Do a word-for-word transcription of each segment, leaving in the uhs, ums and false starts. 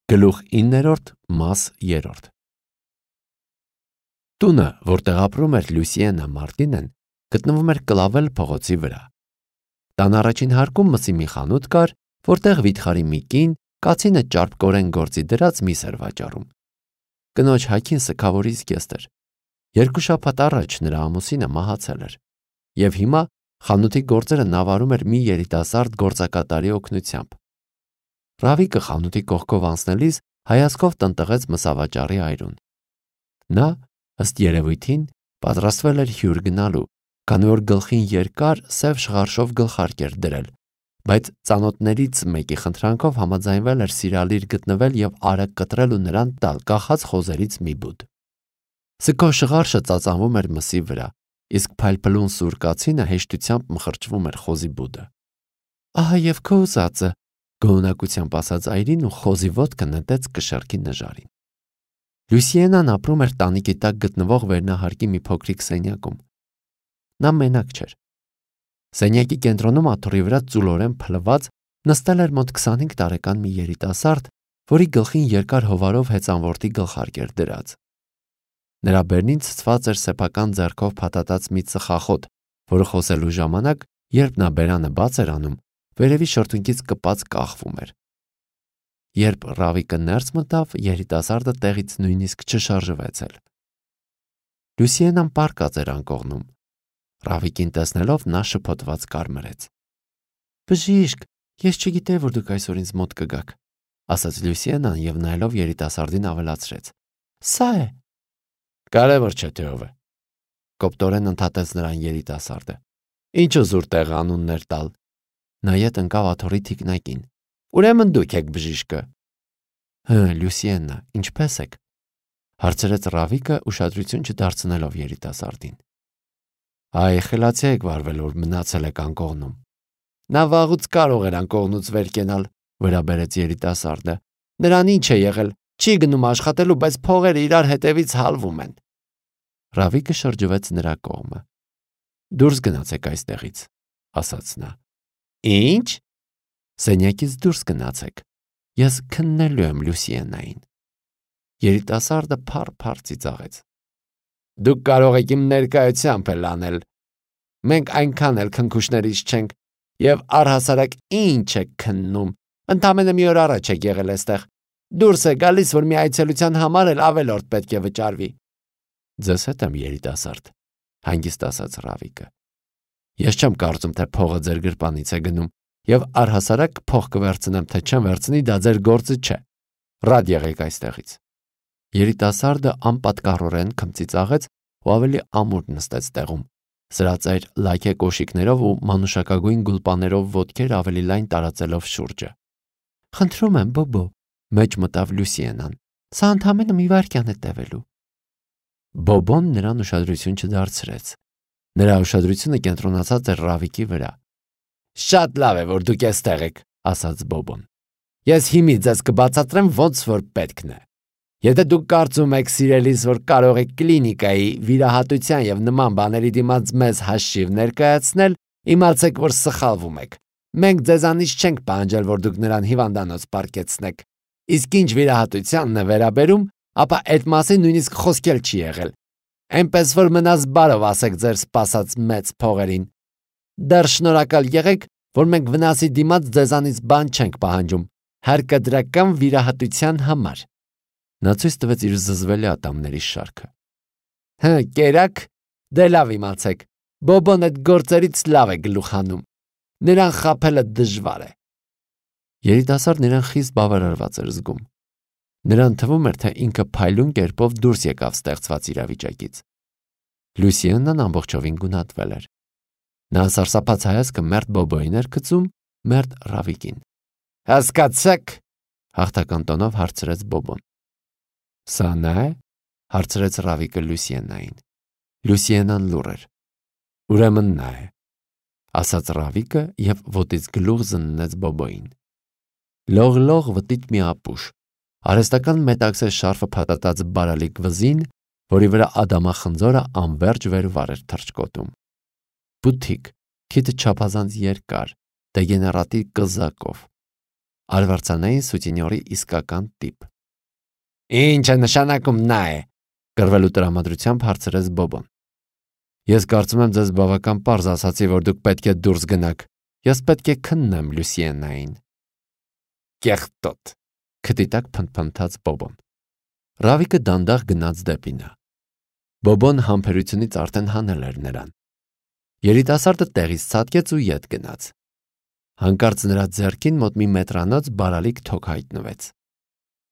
Գլուխ իններորդ մաս երրորդ Տունը, որտեղ ապրում էր Լուսիենը Մարտինեն, գտնվում էր Կլավել փողոցի վրա։ Տան առաջին հարկում մսի մի խանութ կար, որտեղ վիթխարի մի կին կացինը ճարպկորեն գործի դրած միս էր վաճառում։ Կնոջ հագին սգավորի զգեստ էր։ Երկու շաբաթ առաջ նրա ամուսինը մահացել էր, եւ հիմա խանութի գործերը նավարում էր մի երիտասարդ գործակատարի օգնությամբ։ Ռավիկը խանութի կողքով անցնելիս հայացքով տնտղեց մսավաճառի այրուն։ Նա, ըստ երևույթին, պատրաստվել էր հյուր գնալու, քանի որ գլխին երկար սև շղարշով գլխարկ էր դրել, բայց ծանոթներից մեկի խնդրանքով համաձայնվել էր սիրալիր գտնվել եւ արագ կտրել ու նրան տալ կախած խոզերից մի բուդ։ Սգո շղարշը ծածանվում էր մսի վրա, իսկ փայլփլուն սուր կացինը հեշտությամբ մխրճվում էր խոզի բուդը։ Ահա եւ քո ուզածը, գոհունակությամբ ասաց այրին ու խոզի ոտքը նետեց կշեռքի նժարին։ Լուսիենան ապրում էր տանիքի տակ գտնվող վերնահարկի մի փոքրիկ սենյակում։ Նա մենակ չէր։ Սենյակի կենտրոնում աթոռի վրա ծուլորեն փլված նստել էր մոտ քսանհինգ տարեկան մի երիտասարդ, որի գլխին երկար հովարով հեծանվորտի գլխարկ էր դրած։ Նրա բերնին ցցված էր սեփական ձեռքով փաթաթած մի ծխախոտ, որը խոսելու ժամանակ, երբ նա բերանը բաց էր անում, վերևի շրթունքից կպած կախվում էր։ Երբ Ռավիկը ներս մտավ, երիտասարդը տեղից նույնիսկ չշարժվեց էլ։ Լուսիենան պառկած էր անկողնում։ Ռավիկին տեսնելով նա շփոթված կարմրեց։ Բժիշկ, ես չգիտեի, որ դուք այսօր ինձ մոտ կգաք, ասաց Լուսիենան եւ նայելով երիտասարդին ավելացրեց. Սա է։ Կարևոր չէ թե ով է։ Կոպտորեն ընդհատեց նրան երիտասարդը։ Ինչու զուր տեղ անուններ տալ։ Նա ետ ընկավ աթոռի թիկնակին։ Ուրեմն դուք եք բժիշկը։ Հը, Լուսիեննա, ինչպե՞ս եք, հարցրեց Ռավիկը ուշադրություն չդարձնելով երիտասարդին։ Այ, խելացի եք վարվել, որ մնացել եք անկողնում։ Նա վաղուց կարող էր անկողնուց վեր կենալ, վրա բերեց երիտասարդը։ Նրան ինչ է եղել, չի գնում աշխատելու, բայց փողերը իրար հետևից հալվում են։ Ռավիկը շրջվեց նրա կողմը։ Դուրս գնացեք այստեղից, ասաց նա։ Ինչ։ Սենյակից դուրս գնացեք։ Ես քննելու եմ Լուսիենային։ Երիտասարդը փառ-փառ ծիծաղեց։ Դուք կարող եք իմ ներկայությամբ էլ անել։ Մենք այնքան էլ քնքուշներից չենք, եւ առհասարակ ինչ եք քննում։ Ընդամենը մի օր առաջ եք եղել այստեղ։ Դուրս է գալիս, որ մի այցելության համար էլ ավելորդ պետք է վճարվի։ Ձեզ հետ եմ, երիտասարդ, հանգիստ ասաց Ռավիկը։ Ես չեմ կարծում, թե փողը ձեր գրպանից է գնում, եւ առհասարակ փող կվերցնեմ, թե չեմ վերցնի, դա ձեր գործը չէ։ Ռադ եղեք այստեղից։ Երիտասարդը անպատկառորեն քմծիծաղեց ու ավելի ամուր նստեց տեղում, սրածայր լայքե կոշիկներով ու մանուշակագույն գուլպաներով ոտքեր ավելի լայն տարածելով շուրջը։ Խնդրում եմ, Բոբո, մեջ մտավ Լուսիենան։ Սա ընդամենը մի վայրկյան է տևելու։ Բոբոն նրան ուշադրություն չդարձրեց։ Նրա ուշադրությունը կենտրոնացած էր Ռավիկի վրա։ Շատ լավ է, որ դուք այստեղ եք, ասաց Բոբոն։ Ես հիմի ձեզ կբացատրեմ ոնց որ պետքն է։ Եթե դուք կարծում եք, սիրելիս, որ կարող եք կլինիկայի, վիրահատության եւ նման բաների դիմաց մեզ հաշիվ ներկայացնել, իմացեք, որ սխալվում եք։ Մենք ձեզանից չենք պահանջել, որ դուք նրան հիվանդանոց պարկեցնեք։ Իսկ ինչ վիրահատությանն է վերաբերում, ապա այդ մասին նույնիսկ խոսքել չի եղել։ Այնպես որ մնաց բարով ասեք ձեր սպասած մեծ փողերին։ Դեռ շնորհակալ եղեք, որ մենք վնասի դիմաց ձեզանից բան չենք պահանջում, հարկադրական վիրահատության համար։ Նա ցույց տվեց իր զզվելի ատամների շարքը։ Հը, կերակ, դե լավ իմացեք, Բոբոն այդ գործերից լավ է գլուխ հանում։ Նրան խաբելը դժվար է։ Երիտասարդն նրան խիստ բավարարված էր զգում։ Նրան թվում էր, թե ինքը փայլուն կերպով դուրս եկավ ստեղծված իրավիճակից։ Լուսիեննան ամբողջովին գունատվել էր։ Նա սարսափած հայացքը մերթ Բոբոյին էր գցում, մերթ Ռավիկին։ Հասկացեք, հաղթական տոնով հարցրեց Բոբոն։ Սա նա է, հարցրեց Ռավիկը Լուսիեննային։ Լուսիեննան լուռ էր։ Ուրեմն նա է, ասաց Ռավիկը եւ ոտից գլուխ զննեց Բոբոյին։ Լող-լող վտիտ մի ապուշ, արհեստական մետաքսե շարֆը փաթաթած բարալիկ վզին, որի վրա ադամախնձորը անվերջ վերվար էր թռչկոտում։ Բութիկ, քիթը չափազանց երկար, դեգեներատիվ կզակով։ արվարձանային սուտինյորի իսկական տիպ։ Ինչ է նշանակում նա է, կռվելու տրամադրությամբ հարցրեց Բոբոն։ Ես կարծում եմ ձեզ բավական պարզ ասացի, որ դուք պետք է դուրս գնաք։ Ես պետք է քննեմ Լուսիենային։ Կեղտոտ, քթի տակ փնթփնթաց Բոբոն։ Ռավիկը դանդաղ գնաց դեպի նա։ Բոբոն համբերությունից արդեն հանել էր նրան։ Երիտասարդը տեղից ցատկեց ու ետ գնաց։ Հանկարծ նրա ձեռքին մոտ մի մետրանոց բարալիկ թոք հայտնվեց։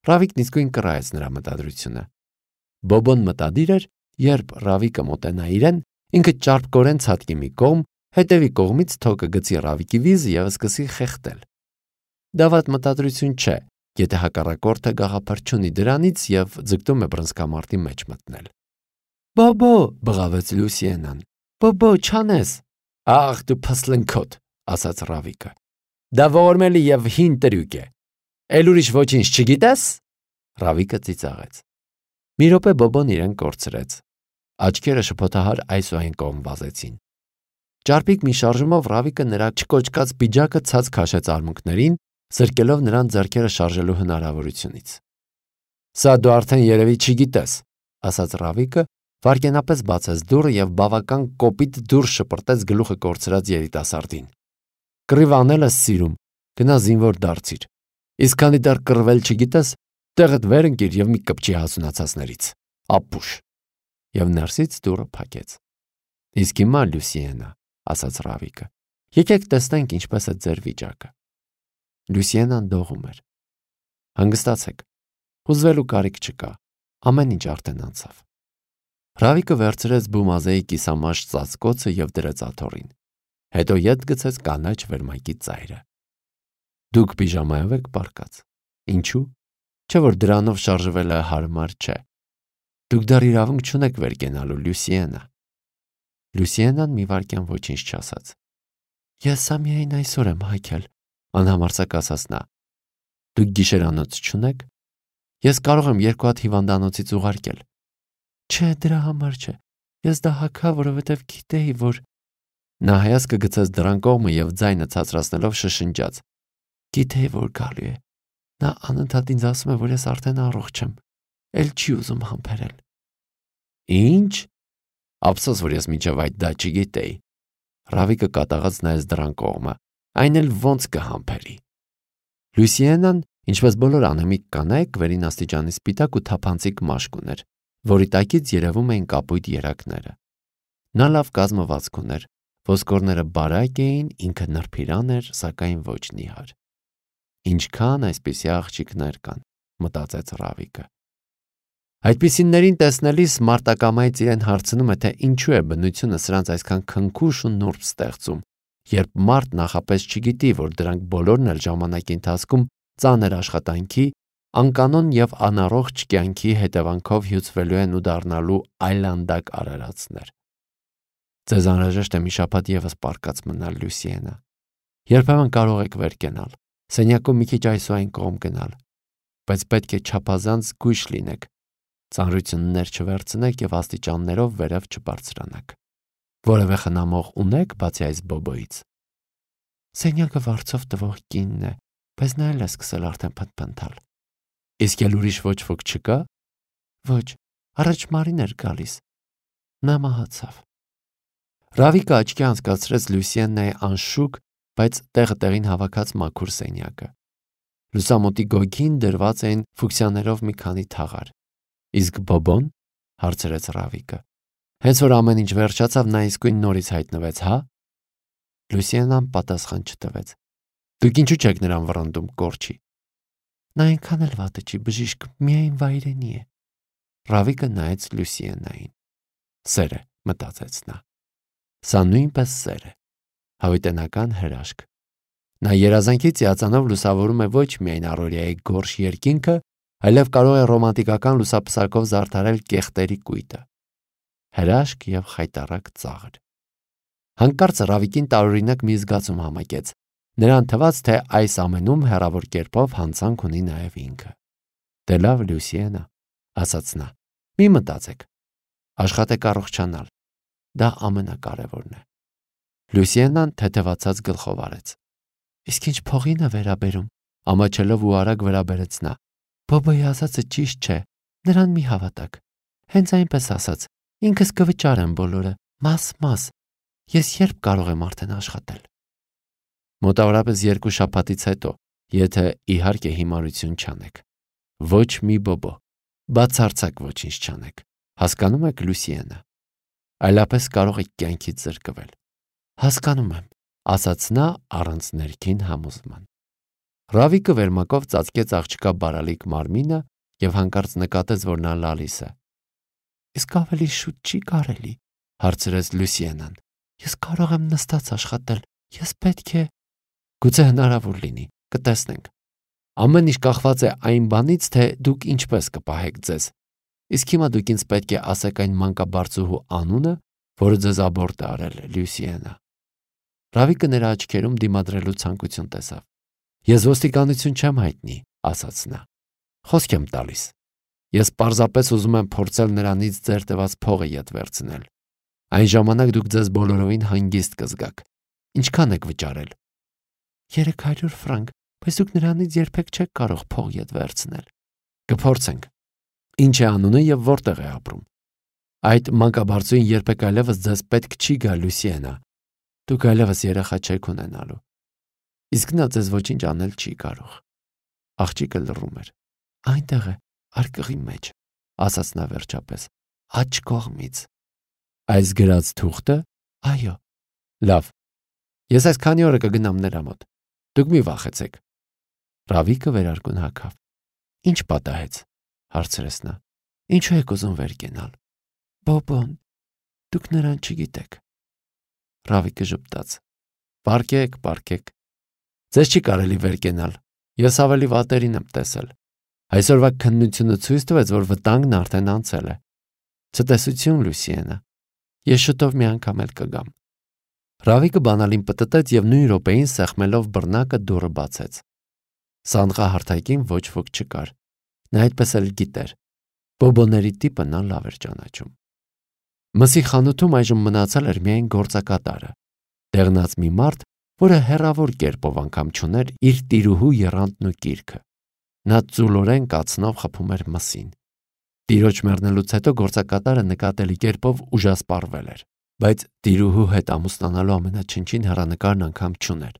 Ռավիկն իսկույն կռահեց նրա մտադրությունը։ Բոբոն մտադիր էր, երբ Ռավիկը մոտենա իրեն, ինքը ճարպկորեն ցատկի մի կողմ, հետևի կողմից թոքը գցի Ռավիկի վիզը և սկսի խեղդել։ Դա վատ մտադրություն չէ, եթե հակառակորդը գաղափար չունի դրանից և ձգտում է բռնցքամարտի մեջ մտնել։ Բոբո, բղավեց Լուսիենան։ Բոբո, չանես։ Ախ, դու փսլնքոտ, ասաց Ռավիկը։ Դա ողորմելի և հին տրյուկ է։ Էլ ուրիշ ոչինչ չգիտես։ Ռավիկը ծիծաղեց։ Մի րոպե Բոբոն իրեն կորցրեց։ Աչքերը շփոթահար այս ու այն կողմ վազեցին։ Ճարպիկ մի շարժումով Ռավիկը նրա չկոճկած պիջակը ցած քաշեց արմունկներին, զրկելով նրան ձեռքերը շարժելու հնարավորությունից։ Սա դու արդեն երևի չգիտես, ասաց Ռավիկը, վայրկենապես բացեց դուռը և բավական կոպիտ դուրս շպրտեց գլուխը կորցրած երիտասարդին։ Կռիվ անել ես սիրում, գնա զինվոր դարձիր։ Իսկ քանի դեռ կռվել չգիտես, տեղդ վեր ընկիր և մի կպչի հասունացածներից։ Ապուշ։ Եվ ներսից դուռը փակեց։ Իսկ հիմա Լուսիենա, ասաց Ռավիկը, եկեք տեսնենք ինչպես է ձեր վիճակը։ Լուսիենան դողում էր։ Հանգստացեք, հուզվելու կարիք չկա, ամեն ինչ արդեն անցավ։ Ռավիկը վերցրեց բումազեի կիսամաշ ծածկոցը և դրեց աթոռին, հետո ետ գցեց կանաչ վերմակի ծայրը։ Դուք պիժամայով եք պառկած։ Ինչու՞։ Չէ՞ որ դրանով շարժվելը հարմար չէ։ Դուք դեռ իրավունք չունեք վեր կենալու, Լուսիենա։ Լուսիենան մի վայրկյան ոչինչ չասաց։ Ես սա միայն այսօր եմ հայքել, անհամարձակ ասաց նա։ Դուք գիշերանոց չունեք։ Ես կարող եմ երկու հատ հիվանդանոցից ուղարկել։ Չէ, դրա համար չէ։ Ես դա հագա, որովհետև գիտեի, որ… Նա հայացքը գցեց դռան կողմը և ձայնը ցածրացնելով շշնջաց։ Գիտեի, որ գալու է։ Նա անընդհատ ինձ ասում է, որ ես արդեն առողջ եմ։ Էլ չի ուզում համբերել։ Ինչ։ Ափսոս, որ ես մինչև այդ դա չգիտեի։ Ռավիկը կատաղած նայեց դռան կողմը։ Այն էլ ոնց կհամբերի։ Լուսիենան, ինչպես բոլոր անհմիկ կանայք, վերին աստիճանի սպիտակ ու թափանցիկ մաշկ ուներ, որի տակից երևում էին կապույտ երակները։ Նա լավ կազմվածք ուներ, ոսկորները բարակ էին, ինքը նրբիրան էր, սակայն ոչ նիհար։ Ինչքան այսպիսի աղջիկներ կան, մտածեց Ռավիկը։ Այդպիսիներին տեսնելիս մարտակամայից իրեն հարցնում է, թե ինչու է բնությունը սրանց այսքան քնքուշ ու նուրբ ստեղծում, երբ մարդ նախապես չգիտի, որ դրանք բոլորն էլ ժամանակի ընթացքում ծանր աշխատանքի, անկանոն և անառողջ կյանքի հետևանքով հյուծվելու են ու դառնալու այլանդակ արարածներ։ Ձեզ անհրաժեշտ է մի շաբաթ ևս պառկած մնալ, Լուսիենա։ Երբեմն կարող եք վեր կենալ, սենյակում մի քիչ այս ու այն կողմ գնալ, բայց պետք է չափազանց զգույշ լինեք, ծանրություններ չվերցնեք և աստիճաններով վերև չբարձրանաք։ Որևէ խնամող ունեք, բացի այս Բոբոից։ Սենյակը վարձով տվող կինն է, բայց նա էլ է սկսել արդեն փնթփնթալ։ Իսկ էլ ուրիշ ոչ ոք չկա։ Ոչ, առաջ Մարին էր գալիս։ Նա մահացավ։ Ռավիկը աչքի անցկացրեց Լուսիենայի անշուք, բայց տեղը տեղին հավաքած մաքուր սենյակը։ Լուսամուտի գոգին դրված էին ֆուկսիաներով մի քանի թաղար։ Իսկ Բոբոն, հարցրեց Ռավիկը։ Հենց որ ամեն ինչ վերջացավ, նա իսկույն նորից հայտնվեց, հա։ Լուսիենան պատասխան չտվեց։ Դուք ինչու չեք նրան վռնդում, կորչի։ Նա այնքան էլ վատը չի, բժիշկ, միայն վայրենի է։ Ռավիկը նայեց Լուսիենային։ Սեր է, մտածեց նա։ Սա նույնպես սեր է, հավիտենական հրաշք։ Նա երազանքից հիացանով լուսավորում է ոչ միայն առօրյայի գորշ երկինքը, այլև կարող է ռոմանտիկական լուսապսակով զարդարել կեղտերի կույտը։ Հրաշք և խայտառակ ծաղր։ Հանկարծ Ռավիկին տարօրինակ մի զգացում համակեց։ Նրան թվաց, թե այս ամենում հեռավոր կերպով հանցանք ունի նաև ինքը։ Դե լավ, Լուսիենա, ասաց նա, մի մտածեք։ Աշխատեք առողջանալ։ Դա ամենակարևորն է։ Լուսիենան թեթևացած գլխով արեց։ Իսկ ինչ փողին է վերաբերում, Ամաչելով ու արագ վրա բերեց նա։ Բոբոյի ասածը ճիշտ չէ, նրան մի հավատակ։ Հենց այնպես ասաց, ինքս կվճարեմ բոլորը, մաս-մաս, ես երբ կարող եմ արդեն աշխատել։ Մոտավորապես երկու շաբաթից հետո, եթե իհարկե հիմարություն չանեք։ Ոչ մի բոբո, բացարձակ ոչինչ չանեք, հասկանում եք Լուսիենը։ Այլապես կարող եք կյանքից զրկվել։ Հասկանում եմ, ասաց նա առանց ներքին համոզման։ Ռավիկը վերմակով ծածկեց աղջկա բարալիկ մարմինը և հանկարծ նկատեց, որ նա լալիս է։ Իսկ ավելի շուտ չի կարելի, հարցրեց Լուսիենան։ Ես կարող եմ նստած աշխատել, ես պետք է… Գուցե հնարավոր լինի, կտեսնենք։ Ամեն ինչ կախված է այն բանից, թե դուք ինչպես կպահեք ձեզ։ Իսկ հիմա դուք ինձ պետք է ասեք այն մանկաբարձուհու անունը, որը ձեզ աբորտ է արել, Լուսիենա։ Ռավիկը նրա աչքերում դիմադրելու ցանկություն տեսավ։ Ես ոստիկանություն չեմ հայտնի, ասաց նա։ Խոսք եմ տալիս։ Ես պարզապես ուզում եմ փորձել նրանից ձեր տված փողը ետ վերցնել։ Այն ժամանակ դուք ձեզ բոլորովին հանգիստ կզգաք։ Ինչքան եք վճարել։ Երեք հարյուր ֆրանկ, բայց դուք նրանից երբեք չեք կարող փող ետ վերցնել։ Կփորձենք։ Ինչ է անունը եւ որտեղ է ապրում։ Այդ մանկաբարձուին երբեք այլևս ձեզ պետք չի գա, Լուսիենա։ Դուք այլևս երեխա չեք ունենալու։ Իսկ նա ձեզ ոչինչ անել չի կարող։ Աղջիկը լռում էր։ Այնտեղ է, արկղի մեջ, ասաց նա վերջապես, աջ կողմից։ Այս գրած թուղթը, այո։ Լավ։ Ես այս քանի օրը կգնամ նրա մոտ։ Դուք մի վախեցեք։ Ռավիկը վերարկուն հագավ։ Ինչ պատահեց, հարցրեց նա։ Ինչու եք ուզում վեր կենալ։ Բոբոն, դուք նրան չգիտեք։ Ռավիկը ժպտաց։ Պարկեք, պարկեք։ Ձեզ չի կարելի վեր կենալ։ Ես ավելի վատերին եմ տեսել։ Այսօրվա քննությունը ցույց տվեց, որ վտանգն արդեն անցել է։ Ցտեսություն, Լուսիենա։ Ես շուտով մի անգամ էլ կգամ։ Ռավիկը բանալին պտտեց և նույն րոպեին սեղմելով բռնակը դուռը բացեց։ Սանդղահարթակին ոչ ոք չկար։ Նա այդպես էլ գիտեր։ Բոբոների տիպը նա լավ էր ճանաչում։ Մսի խանութում այժմ մնացել էր միայն գործակատարը, դեղնած մի մարդ, որը հեռավոր կերպով անգամ չուներ իր տիրուհու եռանդն ու կիրքը։ Նա ծուլորեն կացնով խփում էր մսին։ Տիրոջ մեռնելուց հետո գործակատարը նկատելի կերպով ուժասպառվել էր, բայց տիրուհու հետ ամուսնանալու ամենաչնչին հեռանկարն անգամ չուներ։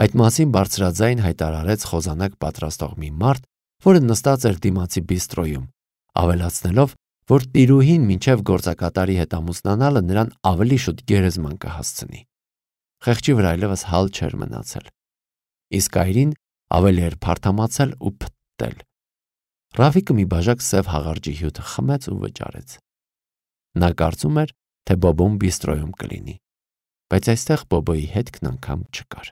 Այդ մասին բարձրաձայն հայտարարեց խոզանակ պատրաստող մի մարդ, որը նստած էր դիմացի բիստրոյում, ավելացնելով, որ տիրուհին մինչև գործակատարի հետ ամուսնանալը նրան ավելի շուտ գերեզման կհասցնի։ Խեղճի վրա այլևս հալ չէր մնացել։ Իսկ այրին ավելի էր փարթամացել ու փտտել։ Ռավիկը մի բաժակ սև հաղարջի հյութը խմեց ու վճարեց։ Նա կարծում էր, թե Բոբոն բիստրոյում կլինի, բայց այստեղ Բոբոյի հետքն անգամ չկար։